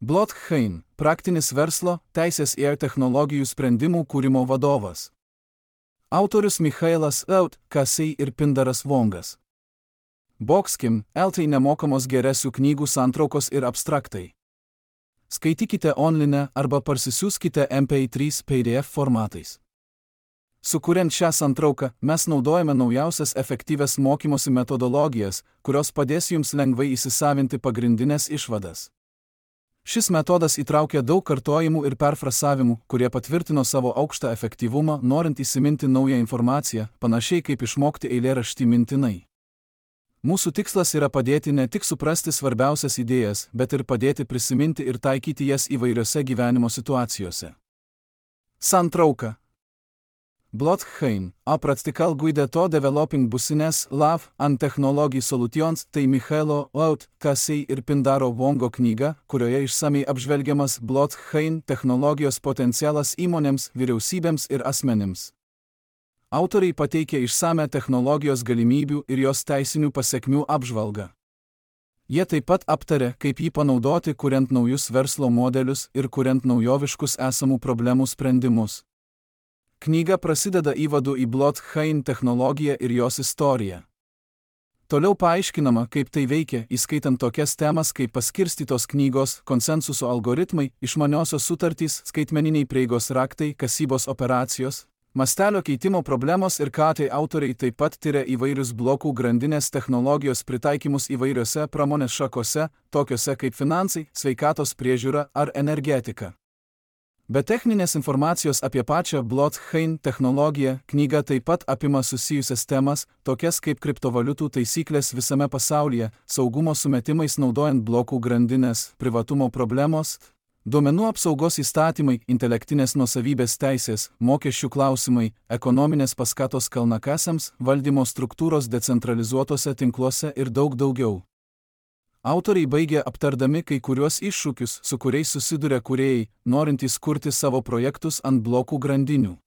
Blockchain – praktinis verslo, teisės ir technologijų sprendimų kūrimo vadovas. Autorius Michailas Kasei ir Pindaras Vongas. Boxkim LT nemokamos geresių knygų santraukos ir abstraktai. Skaitykite online arba parsisiųskite MP3 PDF formatais. Sukuriant šią santrauką, mes naudojame naujausias efektyvias mokymosi metodologijas, kurios padės jums lengvai įsisavinti pagrindinės išvadas. Šis metodas įtraukia daug kartojimų ir perfrasavimų, kurie patvirtino savo aukštą efektyvumą, norint įsiminti naują informaciją, panašiai kaip išmokti eilėraštį mintinai. Mūsų tikslas yra padėti ne tik suprasti svarbiausias idėjas, bet ir padėti prisiminti ir taikyti jas įvairiose gyvenimo situacijose. Santrauka. Blockchain, a practical guide to developing business love and technology solutions, tai Michailo Kasei ir Pindaro Vongo knyga, kurioje išsamiai apžvelgiamas blockchain technologijos potencialas įmonėms, vyriausybėms ir asmenims. Autoriai pateikia išsame technologijos galimybių ir jos teisinių pasekmių apžvalgą. Jie taip pat aptarė, kaip jį panaudoti, kuriant naujus verslo modelius ir kuriant naujoviškus esamų problemų sprendimus. Knyga prasideda įvadu į blockchain technologiją ir jos istoriją. Toliau paaiškinama, kaip tai veikia, įskaitant tokias temas kaip paskirstytos knygos, konsensuso algoritmai, išmaniosios sutartys, skaitmeniniai prieigos raktai, kasybos operacijos, mastelio keitimo problemos ir ką tai autoriai taip pat tiria įvairius blokų grandinės technologijos pritaikymus įvairiose pramonės šakose, tokiose kaip finansai, sveikatos priežiūra ar energetika. Be techninės informacijos apie pačią blockchain technologiją, knyga taip pat apima susijusias temas, tokias kaip kriptovaliutų taisyklės visame pasaulyje, saugumo sumetimais naudojant blokų grandinės, privatumo problemos, duomenų apsaugos įstatymai, intelektinės nuosavybės teisės, mokesčių klausimai, ekonominės paskatos kalnakasiams, valdymo struktūros decentralizuotose tinkluose ir daug daugiau. Autoriai baigia aptardami kai kuriuos iššūkius, su kuriais susiduria kūrėjai, norintys kurti savo projektus ant blokų grandinių.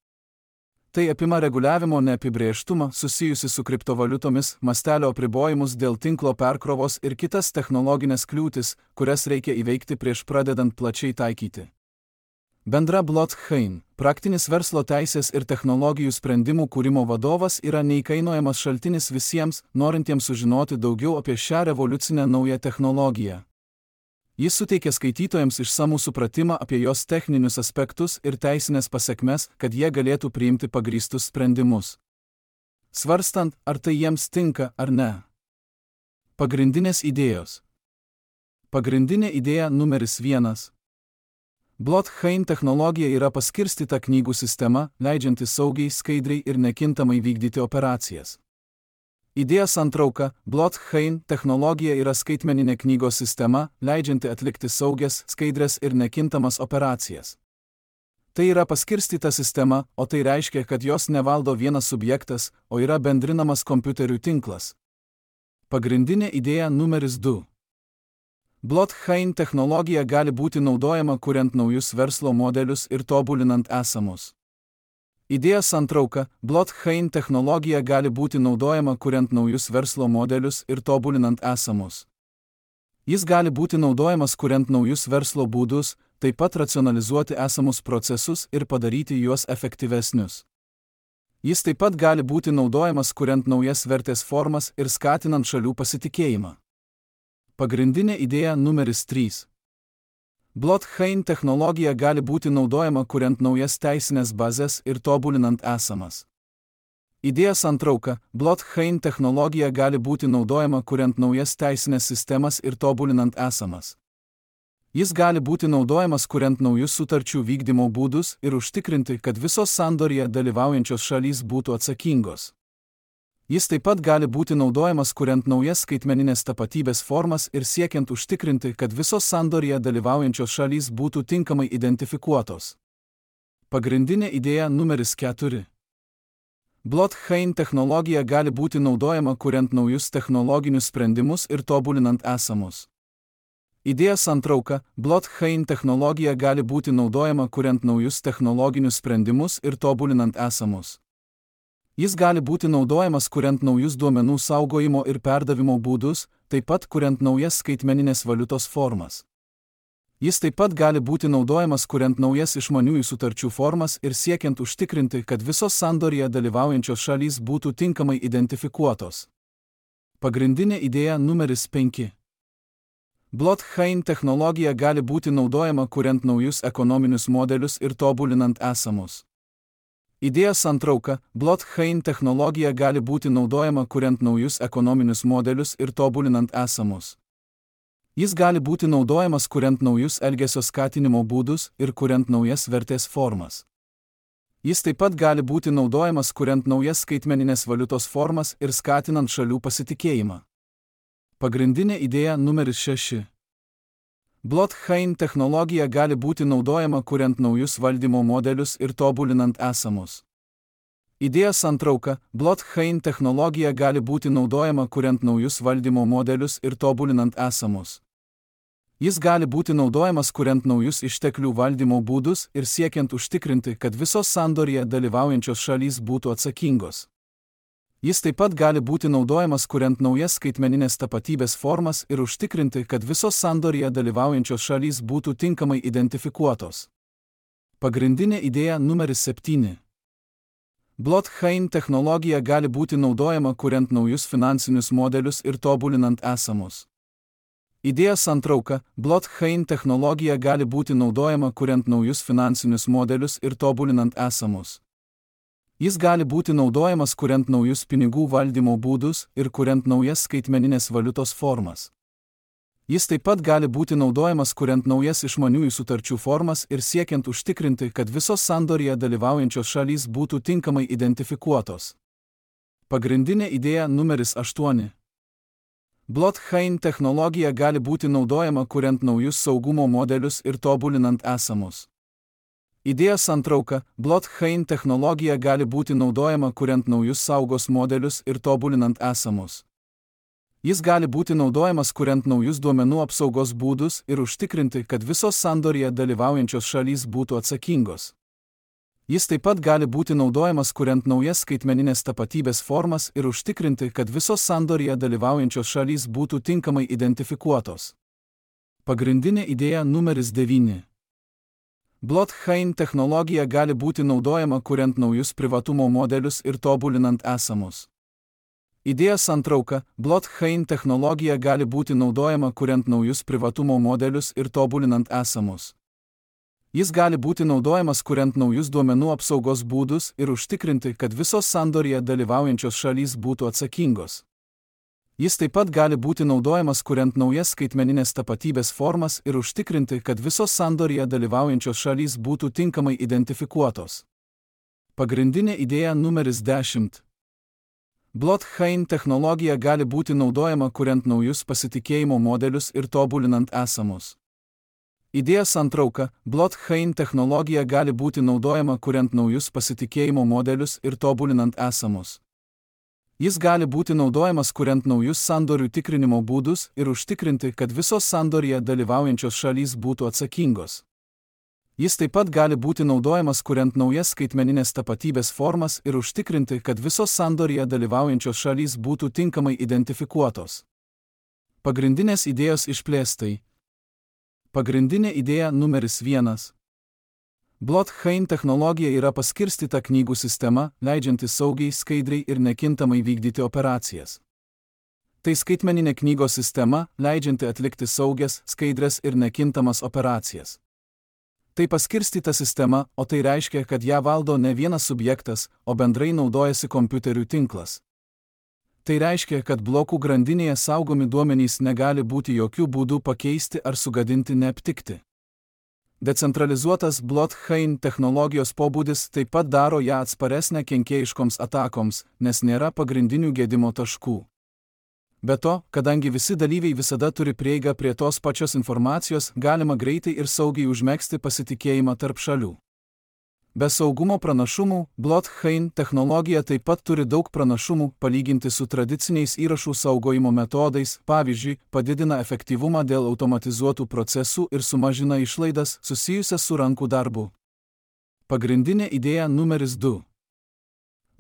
Tai apima reguliavimo neapibrėžtumą susijusi su kriptovaliutomis, mastelio apribojimus dėl tinklo perkrovos ir kitas technologinės kliūtis, kurias reikia įveikti prieš pradedant plačiai taikyti. Bendra blockchain, praktinis verslo teisės ir technologijų sprendimų kūrimo vadovas yra neįkainojamas šaltinis visiems, norintiems sužinoti daugiau apie šią revoliucinę naują technologiją. Jis suteikia skaitytojams išsamų supratimą apie jos techninius aspektus ir teisinės pasekmes, kad jie galėtų priimti pagrįstus sprendimus. Svarstant, ar tai jiems tinka ar ne. Pagrindinės idėjos. Pagrindinė idėja numeris 1. Blockchain technologija yra paskirstyta knygų sistema, leidžianti saugiai, skaidriai ir nekintamai vykdyti operacijas. Idėja santrauka. Blockchain technologija yra skaitmeninė knygos sistema, leidžianti atlikti saugias, skaidrias ir nekintamas operacijas. Tai yra paskirstyta sistema, o tai reiškia, kad jos nevaldo vienas subjektas, o yra bendrinamas kompiuterių tinklas. Pagrindinė idėja numeris 2. Blockchain technologija gali būti naudojama kuriant naujus verslo modelius ir tobulinant esamus. Idėja santrauka. Blockchain technologija gali būti naudojama kuriant naujus verslo modelius ir tobulinant esamus. Jis gali būti naudojamas kuriant naujus verslo būdus, taip pat racionalizuoti esamus procesus ir padaryti juos efektyvesnius. Jis taip pat gali būti naudojamas kuriant naujas vertės formas ir skatinant šalių pasitikėjimą. Pagrindinė idėja numeris 3. Blockchain technologija gali būti naudojama kuriant naujas teisinės bazės ir tobulinant esamas. Idėja santrauka. Blockchain technologija gali būti naudojama kuriant naujas teisinės sistemas ir tobulinant esamas. Jis gali būti naudojamas kuriant naujus sutarčių vykdymo būdus ir užtikrinti, kad visos sandorėje dalyvaujančios šalys būtų atsakingos. Jis taip pat gali būti naudojamas kuriant naujas skaitmeninės tapatybės formas ir siekiant užtikrinti, kad visos sandorėje dalyvaujančios šalys būtų tinkamai identifikuotos. Pagrindinė idėja numeris 4. Blockchain technologija gali būti naudojama kuriant naujus technologinius sprendimus ir tobulinant esamus. Idėja santrauka. Blockchain technologija gali būti naudojama kuriant naujus technologinius sprendimus ir tobulinant esamus. Jis gali būti naudojamas kuriant naujus duomenų saugojimo ir perdavimo būdus, taip pat kuriant naujas skaitmeninės valiutos formas. Jis taip pat gali būti naudojamas kuriant naujas išmaniųjų sutarčių formas ir siekiant užtikrinti, kad visos sandoryje dalyvaujančios šalys būtų tinkamai identifikuotos. Pagrindinė idėja numeris 5. Blockchain technologija gali būti naudojama kuriant naujus ekonominius modelius ir tobulinant esamus. Idėjos santrauka: blockchain technologija gali būti naudojama kuriant naujus ekonominius modelius ir tobulinant esamus. Jis gali būti naudojamas kuriant naujus elgesio skatinimo būdus ir kuriant naujas vertės formas. Jis taip pat gali būti naudojamas kuriant naujas skaitmeninės valiutos formas ir skatinant šalių pasitikėjimą. Pagrindinė idėja numeris 6. Blockchain technologija gali būti naudojama kuriant naujus valdymo modelius ir tobulinant esamus. Idėjos santrauka: blockchain technologija gali būti naudojama kuriant naujus valdymo modelius ir tobulinant esamus. Jis gali būti naudojamas kuriant naujus išteklių valdymo būdus ir siekiant užtikrinti, kad visos sandoryje dalyvaujančios šalys būtų atsakingos. Jis taip pat gali būti naudojamas kuriant naujas skaitmeninės tapatybės formas ir užtikrinti, kad visos sandoryje dalyvaujančios šalys būtų tinkamai identifikuotos. Pagrindinė idėja numeris 7. Blockchain technologija gali būti naudojama kuriant naujus finansinius modelius ir tobulinant esamus. Idėjos santrauka: blockchain technologija gali būti naudojama kuriant naujus finansinius modelius ir tobulinant esamus. Jis gali būti naudojamas kuriant naujus pinigų valdymo būdus ir kuriant naujas skaitmeninės valiutos formas. Jis taip pat gali būti naudojamas kuriant naujas išmaniųjų sutarčių formas ir siekiant užtikrinti, kad visos sandoryje dalyvaujančios šalys būtų tinkamai identifikuotos. Pagrindinė idėja numeris 8. Blockchain technologija gali būti naudojama kuriant naujus saugumo modelius ir tobulinant esamus. Idėjos santrauka: blockchain technologija gali būti naudojama kuriant naujus saugos modelius ir tobulinant esamus. Jis gali būti naudojamas kuriant naujus duomenų apsaugos būdus ir užtikrinti, kad visos sandoryje dalyvaujančios šalys būtų atsakingos. Jis taip pat gali būti naudojamas kuriant naujas skaitmeninės tapatybės formas ir užtikrinti, kad visos sandoryje dalyvaujančios šalys būtų tinkamai identifikuotos. Pagrindinė idėja numeris 9. Blockchain technologija gali būti naudojama kuriant naujus privatumo modelius ir tobulinant esamus. Idėjos santrauka: blockchain technologija gali būti naudojama kuriant naujus privatumo modelius ir tobulinant esamus. Jis gali būti naudojamas kuriant naujus duomenų apsaugos būdus ir užtikrinti, kad visos sandoryje dalyvaujančios šalys būtų atsakingos. Jis taip pat gali būti naudojamas kuriant naujas skaitmeninės tapatybės formas ir užtikrinti, kad visos sandoryje dalyvaujančios šalys būtų tinkamai identifikuotos. Pagrindinė idėja numeris 10. Blockchain technologija gali būti naudojama kuriant naujus pasitikėjimo modelius ir tobulinant esamus. Idėjos santrauka: blockchain technologija gali būti naudojama kuriant naujus pasitikėjimo modelius ir tobulinant esamus. Jis gali būti naudojamas kuriant naujus sandorių tikrinimo būdus ir užtikrinti, kad visos sandoryje dalyvaujančios šalys būtų atsakingos. Jis taip pat gali būti naudojamas kuriant naujas skaitmeninės tapatybės formas ir užtikrinti, kad visos sandoryje dalyvaujančios šalys būtų tinkamai identifikuotos. Pagrindinės idėjos išplėstai. Pagrindinė idėja numeris 1. Blockchain technologija yra paskirstyta knygų sistema, leidžianti saugiai, skaidriai ir nekintamai vykdyti operacijas. Tai skaitmeninė knygos sistema, leidžianti atlikti saugias, skaidrias ir nekintamas operacijas. Tai paskirstyta sistema, o tai reiškia, kad ją valdo ne vienas subjektas, o bendrai naudojasi kompiuterių tinklas. Tai reiškia, kad blokų grandinėje saugomi duomenys negali būti jokių būdų pakeisti ar sugadinti neaptikti. Decentralizuotas blockchain technologijos pobūdis taip pat daro ją atsparesnę kenkėjiškoms atakoms, nes nėra pagrindinių gedimo taškų. Be to, kadangi visi dalyviai visada turi prieigą prie tos pačios informacijos, galima greitai ir saugiai užmegzti pasitikėjimą tarp šalių. Be saugumo pranašumų, blockchain technologija taip pat turi daug pranašumų palyginti su tradiciniais įrašų saugojimo metodais, pavyzdžiui, padidina efektyvumą dėl automatizuotų procesų ir sumažina išlaidas susijusias su rankų darbu. Pagrindinė idėja numeris 2.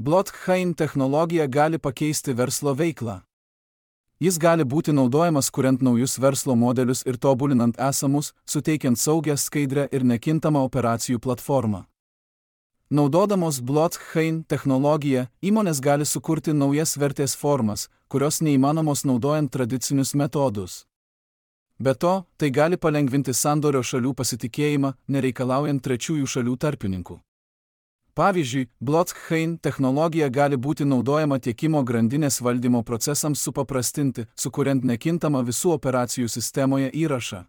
Blockchain technologija gali pakeisti verslo veiklą. Jis gali būti naudojamas kuriant naujus verslo modelius ir tobulinant esamus, suteikiant saugią, skaidrią ir nekintamą operacijų platformą. Naudodamos blockchain technologiją, įmonės gali sukurti naujas vertės formas, kurios neįmanomos naudojant tradicinius metodus. Be to, tai gali palengvinti sandorio šalių pasitikėjimą, nereikalaujant trečiųjų šalių tarpininkų. Pavyzdžiui, blockchain technologija gali būti naudojama tiekimo grandinės valdymo procesams supaprastinti, sukuriant nekintamą visų operacijų sistemoje įrašą.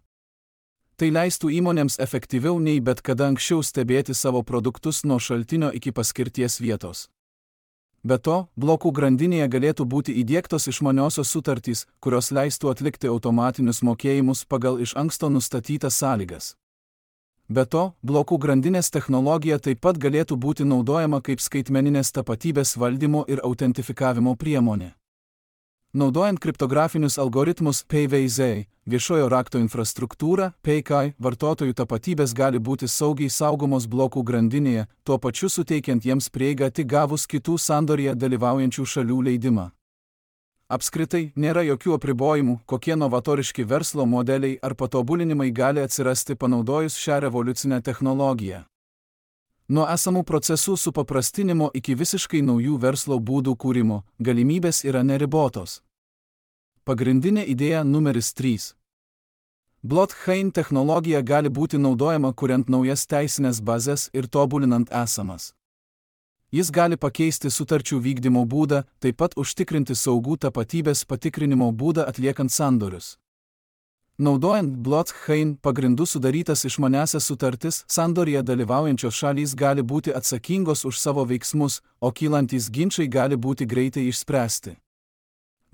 Tai leistų įmonėms efektyviau nei bet kada anksčiau stebėti savo produktus nuo šaltinio iki paskirties vietos. Be to, blokų grandinėje galėtų būti įdiegtos išmaniosios sutartys, kurios leistų atlikti automatinius mokėjimus pagal iš anksto nustatytas sąlygas. Be to, blokų grandinės technologija taip pat galėtų būti naudojama kaip skaitmeninės tapatybės valdymo ir autentifikavimo priemonė. Naudojant kriptografinius algoritmus PVZ, viešojo rakto infrastruktūrą, PKI, vartotojų tapatybės gali būti saugiai saugomos blokų grandinėje, tuo pačiu suteikiant jiems prieigą tik gavus kitų sandorėje dalyvaujančių šalių leidimą. Apskritai, nėra jokių apribojimų, kokie novatoriški verslo modeliai ar patobulinimai gali atsirasti panaudojus šią revoliucinę technologiją. Nuo esamų procesų supaprastinimo iki visiškai naujų verslo būdų kūrimo, galimybės yra neribotos. Pagrindinė idėja numeris 3. Blockchain technologija gali būti naudojama kuriant naujas teisinės bazės ir tobulinant esamas. Jis gali pakeisti sutarčių vykdymo būdą, taip pat užtikrinti saugų tapatybės patikrinimo būdą atliekant sandorius. Naudojant blockchain pagrindų sudarytas išmaniąsias sutartis, sandorėje dalyvaujančios šalys gali būti atsakingos už savo veiksmus, o kylantys ginčai gali būti greitai išspręsti.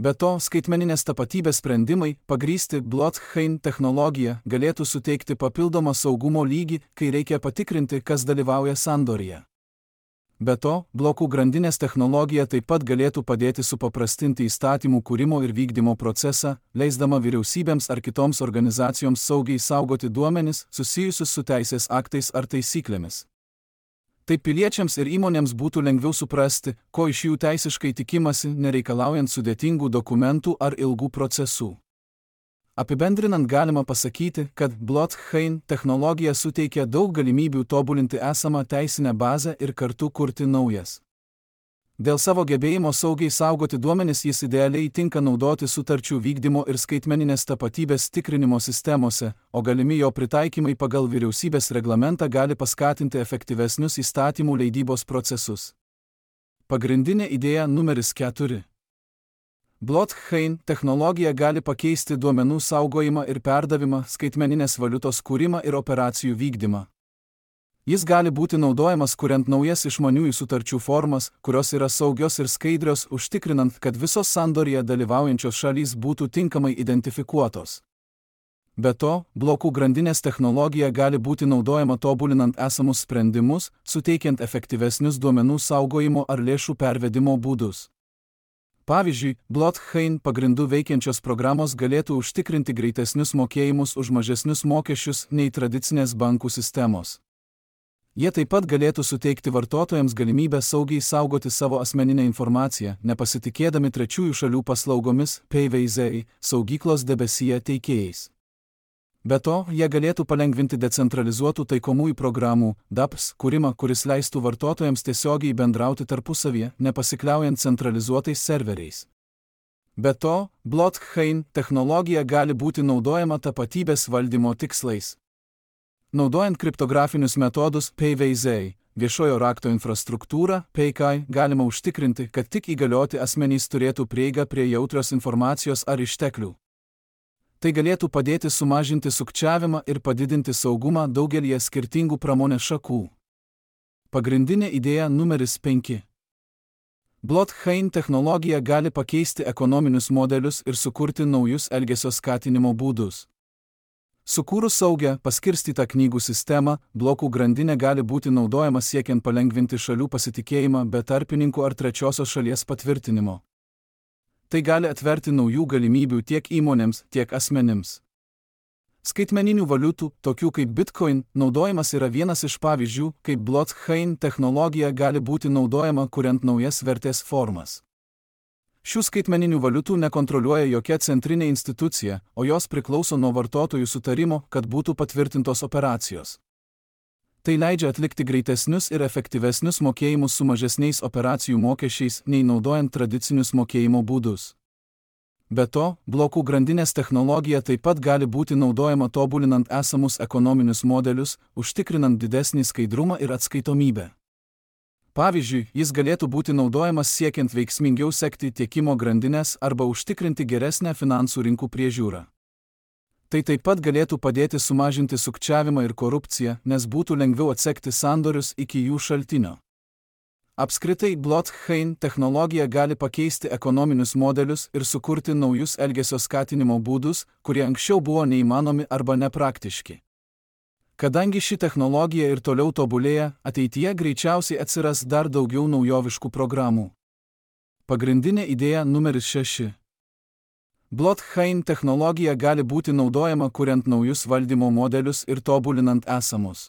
Be to, skaitmeninės tapatybės sprendimai, pagrįsti blockchain technologija, galėtų suteikti papildomą saugumo lygį, kai reikia patikrinti, kas dalyvauja sandorėje. Be to, blokų grandinės technologija taip pat galėtų padėti supaprastinti įstatymų kūrimo ir vykdymo procesą, leisdama vyriausybėms ar kitoms organizacijoms saugiai saugoti duomenis susijusius su teisės aktais ar taisyklėmis. Taip piliečiams ir įmonėms būtų lengviau suprasti, ko iš jų teisiškai tikimasi, nereikalaujant sudėtingų dokumentų ar ilgų procesų. Apibendrinant galima pasakyti, kad blockchain technologija suteikia daug galimybių tobulinti esamą teisinę bazę ir kartu kurti naujas. Dėl savo gebėjimo saugiai saugoti duomenis jis idealiai tinka naudoti sutarčių vykdymo ir skaitmeninės tapatybės tikrinimo sistemose, o galimi jo pritaikymai pagal vyriausybės reglamentą gali paskatinti efektyvesnius įstatymų leidybos procesus. Pagrindinė idėja numeris 4. Blockchain technologija gali pakeisti duomenų saugojimą ir perdavimą, skaitmeninės valiutos kūrimą ir operacijų vykdymą. Jis gali būti naudojamas kuriant naujas išmaniųjų sutarčių formas, kurios yra saugios ir skaidrios, užtikrinant, kad visos sandorėje dalyvaujančios šalys būtų tinkamai identifikuotos. Be to, blokų grandinės technologija gali būti naudojama tobulinant esamus sprendimus, suteikiant efektyvesnius duomenų saugojimo ar lėšų pervedimo būdus. Pavyzdžiui, blockchain pagrindų veikiančios programos galėtų užtikrinti greitesnius mokėjimus už mažesnius mokesčius nei tradicinės bankų sistemos. Jie taip pat galėtų suteikti vartotojams galimybę saugiai saugoti savo asmeninę informaciją, nepasitikėdami trečiųjų šalių paslaugomis, PVZ, saugyklos debesyje teikėjais. Be to, jie galėtų palengvinti decentralizuotų taikomųjų programų, DApps, kūrimą, kuris leistų vartotojams tiesiogiai bendrauti tarpusavyje, nepasikliaujant centralizuotais serveriais. Be to, blockchain technologija gali būti naudojama tapatybės valdymo tikslais. Naudojant kriptografinius metodus PVZ, viešojo rakto infrastruktūrą, PKI, galima užtikrinti, kad tik įgalioti asmenys turėtų prieigą prie jautrios informacijos ar išteklių. Tai galėtų padėti sumažinti sukčiavimą ir padidinti saugumą daugelyje skirtingų pramonės šakų. Pagrindinė idėja numeris 5. Blockchain technologija gali pakeisti ekonominius modelius ir sukurti naujus elgesio skatinimo būdus. Sukūrus saugią, paskirstytą knygų sistemą, blokų grandinė gali būti naudojama siekiant palengvinti šalių pasitikėjimą be tarpininkų ar trečiosios šalies patvirtinimo. Tai gali atverti naujų galimybių tiek įmonėms, tiek asmenims. Skaitmeninių valiutų, tokių kaip Bitcoin, naudojimas yra vienas iš pavyzdžių, kaip blockchain technologija gali būti naudojama kuriant naujas vertės formas. Šių skaitmeninių valiutų nekontroliuoja jokia centrinė institucija, o jos priklauso nuo vartotojų sutarimo, kad būtų patvirtintos operacijos. Tai leidžia atlikti greitesnius ir efektyvesnius mokėjimus su mažesniais operacijų mokesčiais, nei naudojant tradicinius mokėjimo būdus. Be to, blokų grandinės technologija taip pat gali būti naudojama tobulinant esamus ekonominius modelius, užtikrinant didesnį skaidrumą ir atskaitomybę. Pavyzdžiui, jis galėtų būti naudojamas siekiant veiksmingiau sekti tiekimo grandinės arba užtikrinti geresnę finansų rinkų priežiūrą. Tai taip pat galėtų padėti sumažinti sukčiavimą ir korupciją, nes būtų lengviau atsekti sandorius iki jų šaltinio. Apskritai, blockchain technologija gali pakeisti ekonominius modelius ir sukurti naujus elgesio skatinimo būdus, kurie anksčiau buvo neįmanomi arba nepraktiški. Kadangi ši technologija ir toliau tobulėja, ateityje greičiausiai atsiras dar daugiau naujoviškų programų. Pagrindinė idėja numeris 6. Blockchain technologija gali būti naudojama kuriant naujus valdymo modelius ir tobulinant esamus.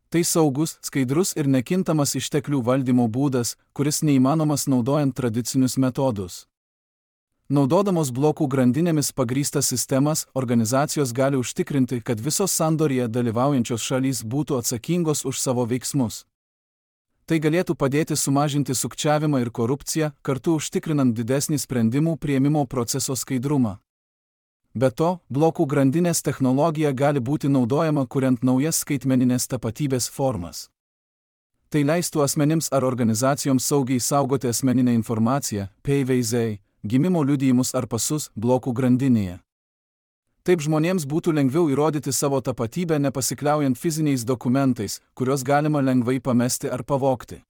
Tai saugus, skaidrus ir nekintamas išteklių valdymo būdas, kuris neįmanomas naudojant tradicinius metodus. Naudodamos blokų grandinėmis pagrįstas sistemas, organizacijos gali užtikrinti, kad visos sandorėje dalyvaujančios šalys būtų atsakingos už savo veiksmus. Tai galėtų padėti sumažinti sukčiavimą ir korupciją, kartu užtikrinant didesnį sprendimų priėmimo proceso skaidrumą. Be to, blokų grandinės technologija gali būti naudojama kuriant naujas skaitmeninės tapatybės formas. Tai leistų asmenims ar organizacijoms saugiai saugoti asmeninę informaciją, PVZ, gimimo liudijimus ar pasus blokų grandinėje. Taip žmonėms būtų lengviau įrodyti savo tapatybę nepasikliaujant fiziniais dokumentais, kuriuos galima lengvai pamesti ar pavogti.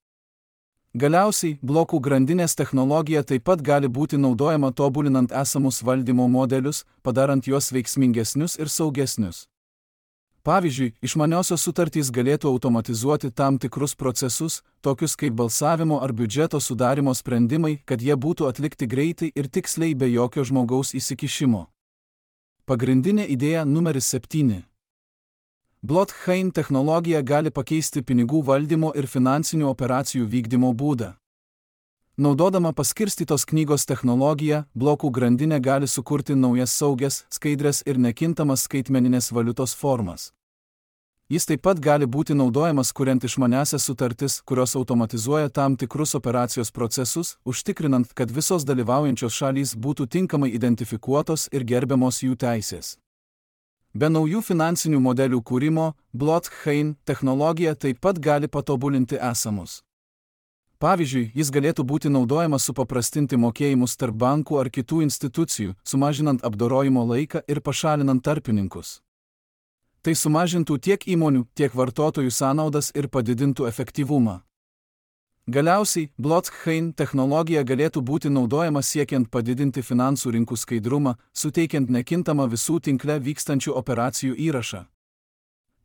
Galiausiai, blokų grandinės technologija taip pat gali būti naudojama tobulinant esamus valdymo modelius, padarant juos veiksmingesnius ir saugesnius. Pavyzdžiui, išmaniosios sutartys galėtų automatizuoti tam tikrus procesus, tokius kaip balsavimo ar biudžeto sudarimo sprendimai, kad jie būtų atlikti greitai ir tiksliai be jokio žmogaus įsikišimo. Pagrindinė idėja numeris 7. Blockchain technologija gali pakeisti pinigų valdymo ir finansinių operacijų vykdymo būdą. Naudodama paskirstytos knygos technologiją, blokų grandinė gali sukurti naujas saugias, skaidrias ir nekintamas skaitmeninės valiutos formas. Jis taip pat gali būti naudojamas kuriant išmaniąsias sutartis, kurios automatizuoja tam tikrus operacijos procesus, užtikrinant, kad visos dalyvaujančios šalys būtų tinkamai identifikuotos ir gerbiamos jų teisės. Be naujų finansinių modelių kūrimo, blockchain technologija taip pat gali patobulinti esamus. Pavyzdžiui, jis galėtų būti naudojamas supaprastinti mokėjimus tarp bankų ar kitų institucijų, sumažinant apdorojimo laiką ir pašalinant tarpininkus. Tai sumažintų tiek įmonių, tiek vartotojų sąnaudas ir padidintų efektyvumą. Galiausiai, blockchain technologija galėtų būti naudojama siekiant padidinti finansų rinkų skaidrumą, suteikiant nekintamą visų tinkle vykstančių operacijų įrašą.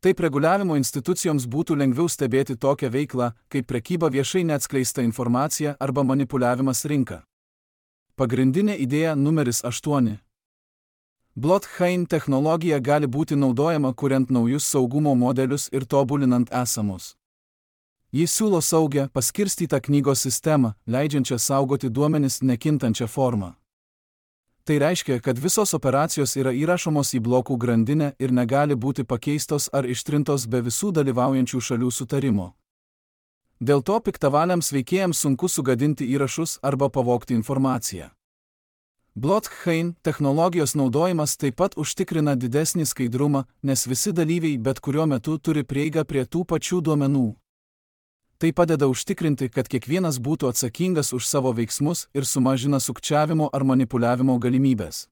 Taip reguliavimo institucijoms būtų lengviau stebėti tokią veiklą, kaip prekyba viešai neatskleista informacija arba manipuliavimas rinka. Pagrindinė idėja numeris 8. Blockchain technologija gali būti naudojama kuriant naujus saugumo modelius ir tobulinant esamus. Jis siūlo saugią, paskirstytą knygos sistemą, leidžiančią saugoti duomenis nekintančią formą. Tai reiškia, kad visos operacijos yra įrašomos į blokų grandinę ir negali būti pakeistos ar ištrintos be visų dalyvaujančių šalių sutarimo. Dėl to piktavaliams veikėjams sunku sugadinti įrašus arba pavogti informaciją. Blockchain technologijos naudojimas taip pat užtikrina didesnį skaidrumą, nes visi dalyviai bet kuriuo metu turi prieigą prie tų pačių duomenų. Tai padeda užtikrinti, kad kiekvienas būtų atsakingas už savo veiksmus ir sumažina sukčiavimo ar manipuliavimo galimybės.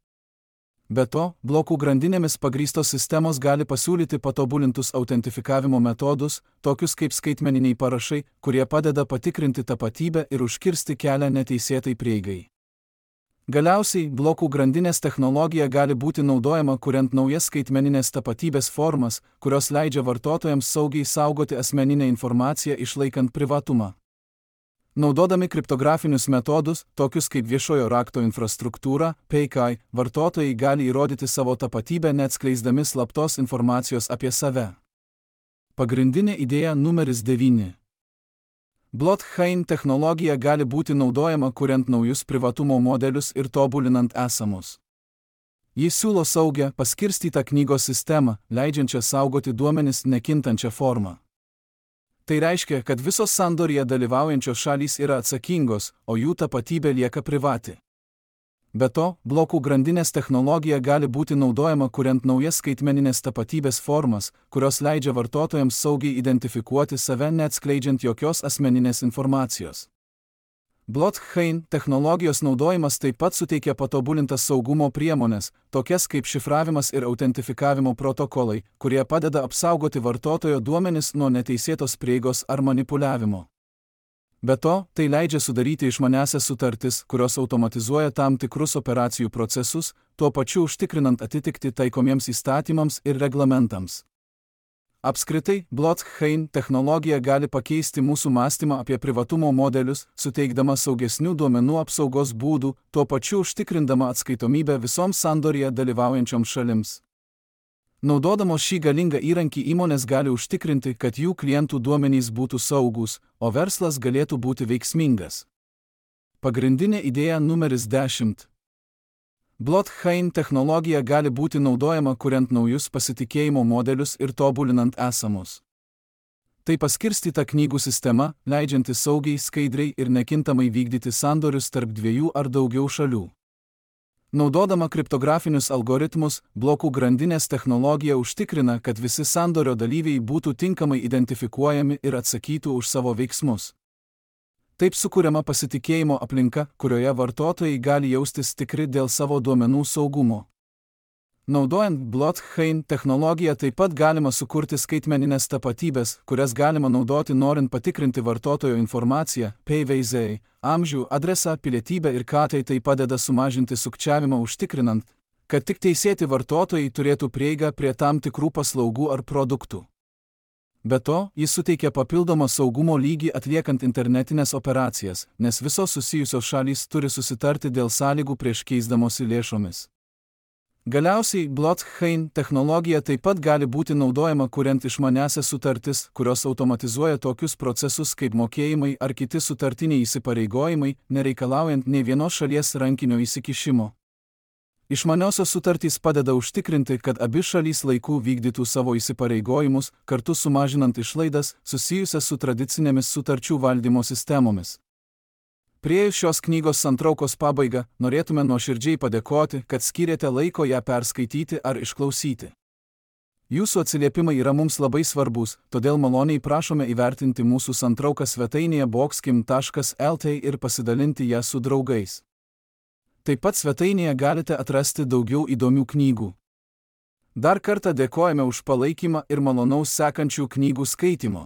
Be to, blokų grandinėmis pagrįstos sistemos gali pasiūlyti patobulintus autentifikavimo metodus, tokius kaip skaitmeniniai parašai, kurie padeda patikrinti tapatybę ir užkirsti kelią neteisėtai prieigai. Galiausiai, blokų grandinės technologija gali būti naudojama kuriant naujas skaitmeninės tapatybės formas, kurios leidžia vartotojams saugiai saugoti asmeninę informaciją išlaikant privatumą. Naudodami kriptografinius metodus, tokius kaip viešojo rakto infrastruktūra, PKI, vartotojai gali įrodyti savo tapatybę neatskleisdami slaptos informacijos apie save. Pagrindinė idėja numeris 9. Blockchain technologija gali būti naudojama kuriant naujus privatumo modelius ir tobulinant esamus. Jis siūlo saugią, paskirstytą knygos sistemą, leidžiančią saugoti duomenis nekintančią formą. Tai reiškia, kad visos sandoryje dalyvaujančios šalys yra atsakingos, o jų tapatybė lieka privati. Be to, blokų grandinės technologija gali būti naudojama kuriant naujas skaitmeninės tapatybės formas, kurios leidžia vartotojams saugiai identifikuoti save neatskleidžiant jokios asmeninės informacijos. Blockchain technologijos naudojimas taip pat suteikia patobulintas saugumo priemonės, tokias kaip šifravimas ir autentifikavimo protokolai, kurie padeda apsaugoti vartotojo duomenis nuo neteisėtos prieigos ar manipuliavimo. Be to, tai leidžia sudaryti išmaniąsias sutartis, kurios automatizuoja tam tikrus operacijų procesus, tuo pačiu užtikrinant atitikti taikomiems įstatymams ir reglamentams. Apskritai, blockchain technologija gali pakeisti mūsų mąstymą apie privatumo modelius, suteikdama saugesnių duomenų apsaugos būdų, tuo pačiu užtikrindama atskaitomybę visoms sandoryje dalyvaujančioms šalims. Naudodamos šį galingą įrankį įmonės gali užtikrinti, kad jų klientų duomenys būtų saugūs, o verslas galėtų būti veiksmingas. Pagrindinė idėja numeris 10. Blockchain technologija gali būti naudojama kuriant naujus pasitikėjimo modelius ir tobulinant esamus. Tai paskirstyta knygų sistema, leidžianti saugiai, skaidriai ir nekintamai vykdyti sandorius tarp dviejų ar daugiau šalių. Naudodama kriptografinius algoritmus, blokų grandinės technologija užtikrina, kad visi sandorio dalyviai būtų tinkamai identifikuojami ir atsakytų už savo veiksmus. Taip sukuriama pasitikėjimo aplinka, kurioje vartotojai gali jaustis tikri dėl savo duomenų saugumo. Naudojant blockchain technologiją taip pat galima sukurti skaitmeninės tapatybės, kurias galima naudoti norint patikrinti vartotojo informaciją, PVZ, amžių, adresą, pilietybę ir tai padeda sumažinti sukčiavimą užtikrinant, kad tik teisėti vartotojai turėtų prieigą prie tam tikrų paslaugų ar produktų. Be to, jis suteikia papildomą saugumo lygį atliekant internetinės operacijas, nes visos susijusios šalys turi susitarti dėl sąlygų prieš keisdamosi lėšomis. Galiausiai, blockchain technologija taip pat gali būti naudojama kuriant išmaniąsias sutartis, kurios automatizuoja tokius procesus kaip mokėjimai ar kiti sutartiniai įsipareigojimai, nereikalaujant nei vienos šalies rankinio įsikišimo. Išmaniosios sutartys padeda užtikrinti, kad abi šalys laiku vykdytų savo įsipareigojimus, kartu sumažinant išlaidas susijusias su tradicinėmis sutarčių valdymo sistemomis. Priėjus šios knygos santraukos pabaigą, norėtume nuoširdžiai padėkoti, kad skyrėte laiko ją perskaityti ar išklausyti. Jūsų atsiliepimai yra mums labai svarbus, todėl maloniai prašome įvertinti mūsų santrauką svetainėje boxkim.lt ir pasidalinti ją su draugais. Taip pat svetainėje galite atrasti daugiau įdomių knygų. Dar kartą dėkojame už palaikymą ir malonaus sekančių knygų skaitymo.